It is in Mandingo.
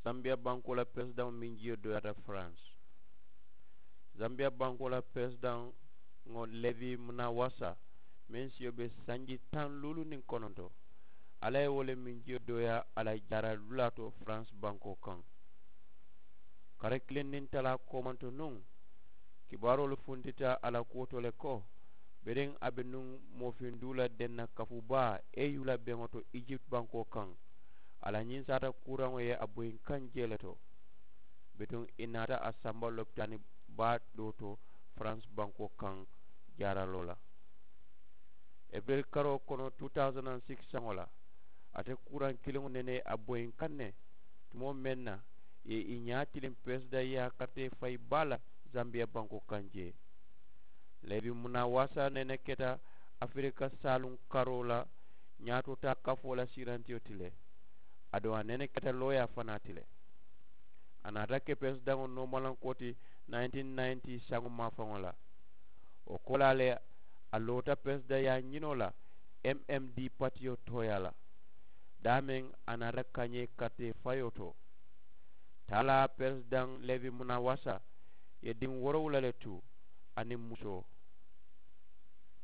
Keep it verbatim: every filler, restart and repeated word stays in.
Zambiya bankoo la peresidaŋo meŋ jiyo dooyaata faransi. Zambiya bankoo la peresidaŋo levi munawasa meŋ siyo be sanji taŋ luulu niŋ kononto, alla ye wo le meŋ jiyo dooyaa a la jaara dulaa to faransi bankoo kaŋ. Kare kiliŋ niŋ talaa koomanto nuŋ, kibaaroolu funtita a la kuwo to le ko biriŋ a be nuŋ moofinduu la denna kafu baa e yu la beŋo to ijipti bankoo kaŋ. A la ñiŋ saata kuuraŋo ye a boyi kaŋ jee le to. Bituŋ i naata a samba lopitaani baa doo to faransi bankoo kaŋ jaaraloo la. Ebiril karoo kono two thousand and six saŋo la, ate kuuraŋ kiliŋo nene a boyi kaŋ ne tumoo meŋ na i ye i ñaa tiliŋ peresidaŋ ye a karitee fayi baa la zambiya bankoo kaŋ jee. Levi munawasa nene keta afirika saaluŋ karoo la ñaatoo taa kafoo la siirantiyo ti le. Aduŋ a nene keta looyaa fanaa ti le. A naata ke peresidaŋo noomalankoo ti nineteen ninety saŋo maafaŋo la. Wo koolaa le a loota peresidaŋyaa ñinoo la m m d patiyo tooyaa la. Daameŋ a naata kañee karitee fayoo to. Taalaa peresidaŋ levi munawasa ye diŋ woorowula le tu aniŋ musoo.